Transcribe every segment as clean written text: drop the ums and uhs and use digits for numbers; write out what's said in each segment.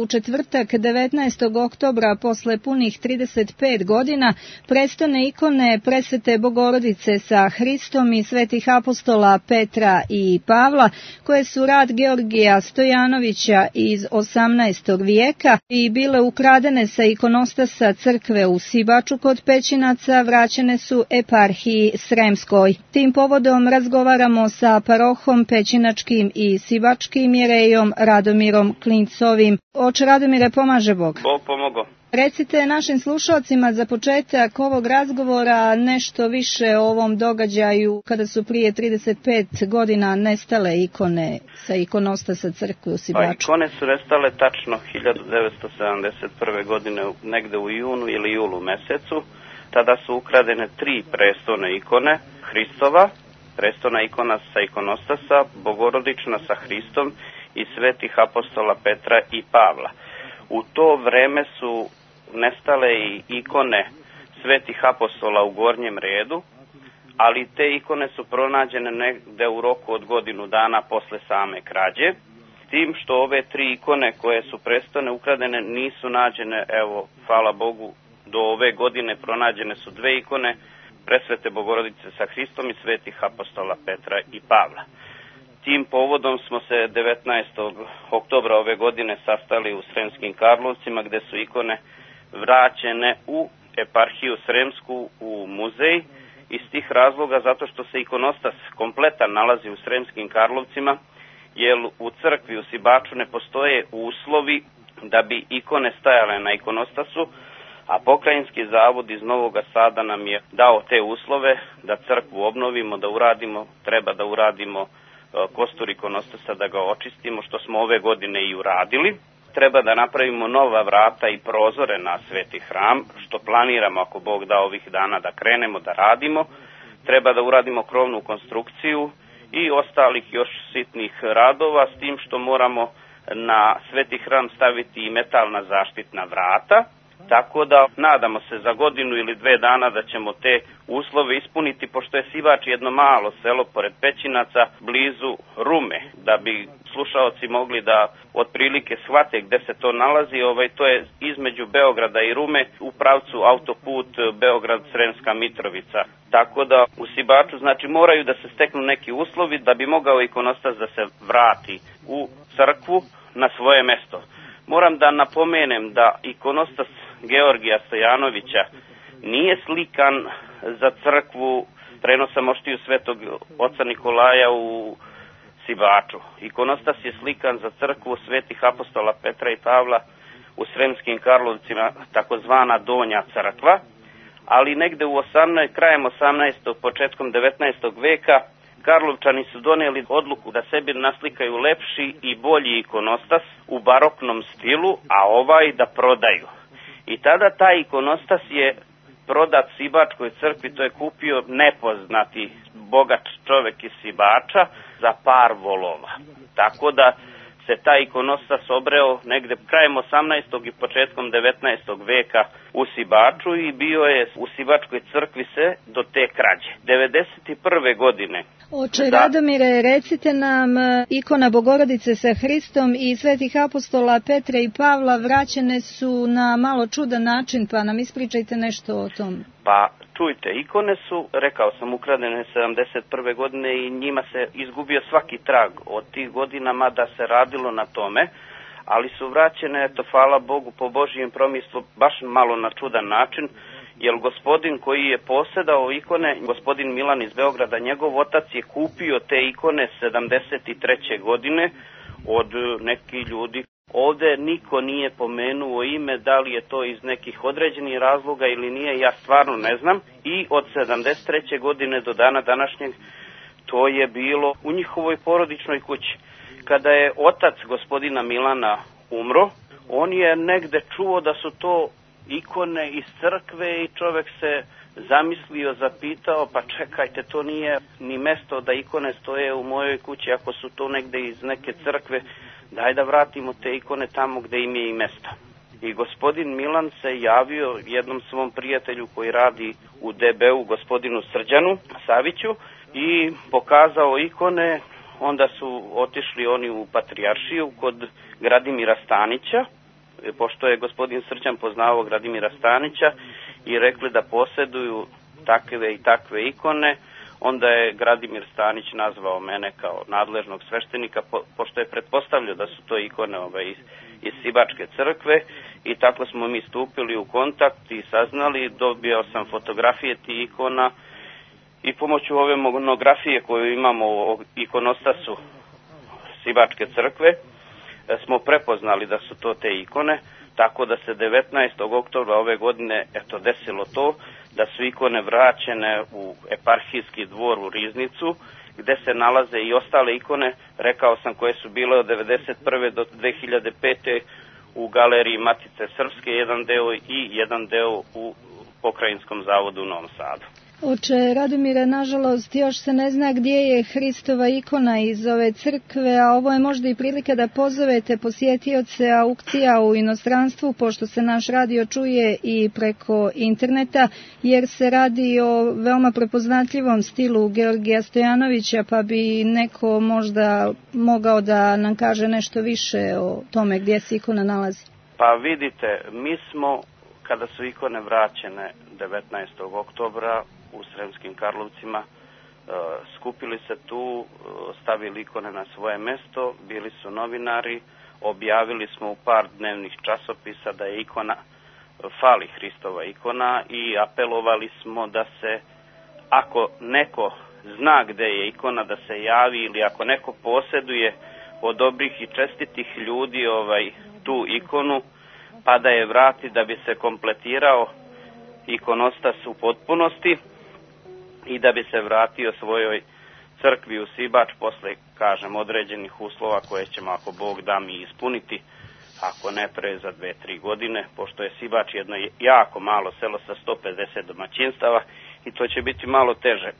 U četvrtak 19. oktobra posle punih 35 godina prestone ikone Presvete Bogorodice sa Hristom i svetih apostola Petra i Pavla, koje su rad Georgija Stojanovića iz 18. vijeka i bile ukradene sa ikonostasa crkve u Sibaču kod Pećinaca, vraćene su eparhiji Sremskoj. Tim povodom razgovaramo sa parohom Pećinačkim i Sibačkim jerejom Radomirom Klincovim. Oče Radomire, pomaže Bog. Bog pomogao. Recite našim slušalcima za početak ovog razgovora nešto više o ovom događaju kada su prije 35 godina nestale ikone sa ikonostasa crkve u Sibaču. Pa ikone su nestale tačno 1971. godine negde u junu ili julu mesecu. Tada su ukradene 3 prestone ikone Hristova, prestona ikona sa ikonostasa, Bogorodična sa Hristom i svetih apostola Petra i Pavla. U to vreme su nestale i ikone svetih apostola u gornjem redu, ali te ikone su pronađene negde u roku od godinu dana posle same krađe. Tim što ove 3 ikone koje su prestone ukradene nisu nađene, evo, hvala Bogu, do ove godine pronađene su 2 ikone Presvete Bogorodice sa Hristom i svetih apostola Petra i Pavla. Tim povodom smo se 19. oktobra ove godine sastali u Sremskim Karlovcima, gde su ikone vraćene u eparhiju Sremsku, u muzej, iz tih razloga zato što se ikonostas kompletan nalazi u Sremskim Karlovcima, jer u crkvi u Sibaču ne postoje uslovi da bi ikone stajale na ikonostasu, a Pokrajinski zavod iz Novog Sada nam je dao te uslove da crkvu obnovimo, da uradimo, treba da uradimo kostur ikonostasa, da ga očistimo, što smo ove godine i uradili. Treba da napravimo nova vrata i prozore na Sveti hram, što planiramo ako Bog da ovih dana da krenemo da radimo. Treba da uradimo krovnu konstrukciju i ostalih još sitnih radova, s tim što moramo na Sveti hram staviti i metalna zaštitna vrata. Tako da nadamo se za godinu ili 2 dana da ćemo te uslove ispuniti, pošto je Sibač jedno malo selo pored Pećinaca, blizu Rume, da bi slušaoci mogli da otprilike shvate gde se to nalazi. To je između Beograda i Rume u pravcu autoput Beograd-Sremska Mitrovica. Tako da u Sibaču znači moraju da se steknu neki uslovi da bi mogao ikonostas da se vrati u crkvu na svoje mesto. Moram da napomenem da ikonostas Georgija Stojanovića nije slikan za crkvu prenosa moštiju svetog oca Nikolaja u Sibaču. Ikonostas je slikan za crkvu svetih apostola Petra i Pavla u Sremskim Karlovcima, takozvana Donja crkva, ali negde u krajem 18. početkom 19. veka Karlovčani su doneli odluku da sebi naslikaju lepši i bolji ikonostas u baroknom stilu, a da prodaju. I tada taj ikonostas je prodat Sibačkoj crkvi, to je kupio nepoznati bogat čovek iz Sibača za par volova. Tako da se taj ikonostas obreo negde krajem 18. i početkom 19. veka u Sibaču i bio je u Sibačkoj crkvi se do te krađe. 91. godine. Oče Radomire, recite nam, ikona Bogorodice sa Hristom i svetih apostola Petra i Pavla vraćene su na malo čudan način, pa nam ispričajte nešto o tom. Pa čujte, ikone su, rekao sam, ukradene 71. godine i njima se izgubio svaki trag od tih godina, mada se radilo na tome, ali su vraćene, hvala Bogu, po Božijem promislu, baš malo na čudan način, jer gospodin koji je posedao ikone, gospodin Milan iz Beograda, njegov otac je kupio te ikone 73. godine od nekih ljudi. Ovde niko nije pomenuo ime, da li je to iz nekih određenih razloga ili nije, ja stvarno ne znam. I od 73. godine do dana današnjeg to je bilo u njihovoj porodičnoj kući. Kada je otac gospodina Milana umro, on je negde čuo da su to ikone iz crkve i čovek se zamislio, zapitao, pa čekajte, to nije ni mesto da ikone stoje u mojoj kući, ako su to negde iz neke crkve, daj da vratimo te ikone tamo gde im je i mesta. I gospodin Milan se javio jednom svom prijatelju koji radi u DB-u, gospodinu Srđanu Saviću, i pokazao ikone. Onda su otišli oni u Patrijaršiju kod Gradimira Stanića pošto je gospodin Srđan poznavao Gradimira Stanića i rekli da posjeduju takve i takve ikone, onda je Gradimir Stanić nazvao mene kao nadležnog sveštenika, pošto je pretpostavljao da su to ikone iz Sibačke crkve, i tako smo mi stupili u kontakt i saznali, dobio sam fotografije tih ikona i pomoću ove monografije koju imamo o ikonostasu Sibačke crkve smo prepoznali da su to te ikone, tako da se 19. oktobra ove godine desilo to da su ikone vraćene u eparhijski dvor u Riznicu, gde se nalaze i ostale ikone, rekao sam, koje su bile od 1991. do 2005. u galeriji Matice Srpske, jedan deo i jedan deo u Pokrajinskom zavodu u Novom Sadu. Oče Radomire, nažalost, još se ne zna gdje je Hristova ikona iz ove crkve, a ovo je možda i prilika da pozovete posjetioce aukcija u inostranstvu, pošto se naš radio čuje i preko interneta, jer se radi o veoma prepoznatljivom stilu Georgija Stojanovića, pa bi neko možda mogao da nam kaže nešto više o tome gdje se ikona nalazi. Pa vidite, mi smo, kada su ikone vraćene 19. oktobra, u Sremskim Karlovcima, skupili se tu, stavili ikone na svoje mesto, bili su novinari, objavili smo u par dnevnih časopisa da je ikona, fali Hristova ikona, i apelovali smo da se, ako neko zna gde je ikona, da se javi, ili ako neko posjeduje od dobrih i čestitih ljudi tu ikonu, pa da je vrati da bi se kompletirao ikonostas u potpunosti i da bi se vratio svojoj crkvi u Sibač posle, kažem, određenih uslova koje ćemo, ako Bog da, mi ispuniti, ako ne pre za 2-3 godine, pošto je Sibač jedno jako malo selo sa 150 domaćinstava i to će biti malo teže.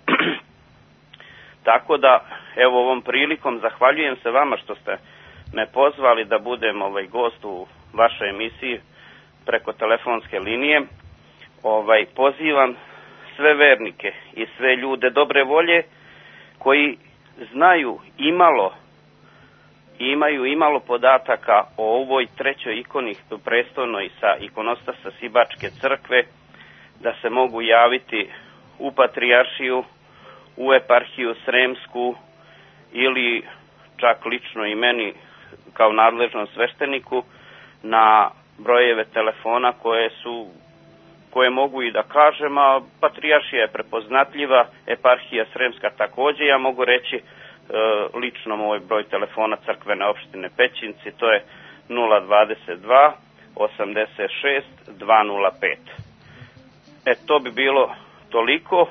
Tako da, evo, ovom prilikom zahvaljujem se vama što ste me pozvali da budem gost u vašoj emisiji preko telefonske linije. Pozivam sve vernike i sve ljude dobre volje koji znaju imaju imalo podataka o ovoj trećoj ikoni prestolnoj sa ikonostasa Sibačke crkve, da se mogu javiti u Patrijaršiju, u eparhiju Sremsku, ili čak lično i meni kao nadležnom svešteniku na brojeve telefona koje mogu i da kažem, a Patrijaršija je prepoznatljiva, eparhija Sremska takođe. Ja mogu reći lično moj broj telefona crkvene opštine Pećinci, to je 022 86 205. To bi bilo toliko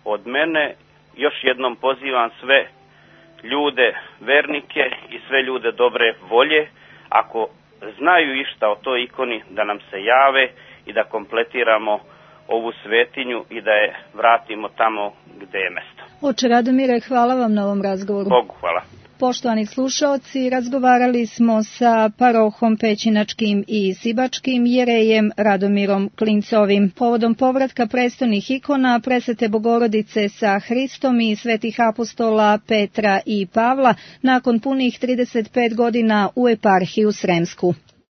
od mene. Još jednom pozivam sve ljude, vernike i sve ljude dobre volje, ako znaju išta o toj ikoni, da nam se jave i da kompletiramo ovu svetinju i da je vratimo tamo gde je mesto. Oče Radomire, hvala vam na ovom razgovoru. Bogu hvala. Poštovani slušaoci, razgovarali smo sa parohom Pećinačkim i Sibačkim jerejem Radomirom Klincovim. Povodom povratka prestolnih ikona Presvete Bogorodice sa Hristom i svetih apostola Petra i Pavla nakon punih 35 godina u eparhiju Sremsku.